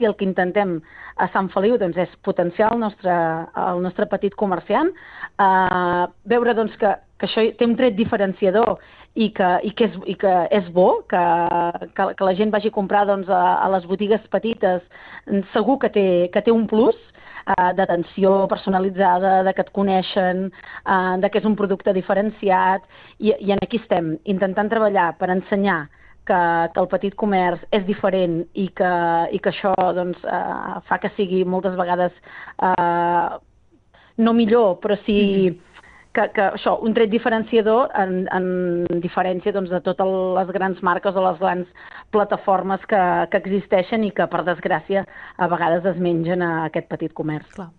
i el que intentem a Sant Feliu doncs, és potenciar el nostre petit comerciant, veure doncs, que això té un tret diferenciador i que és bo, que la gent vagi a comprar doncs, a les botigues petites, segur que té un plus, d'atenció personalitzada, de que et coneixen, de que és un producte diferenciat, i en aquí estem, intentant treballar per ensenyar que el petit comerç és diferent i que això doncs, fa que sigui moltes vegades no millor, però sí que això, un tret diferenciador en diferència doncs, de totes les grans marques o les grans plataformes que existeixen i que, per desgràcia, a vegades es mengen a aquest petit comerç. Clar.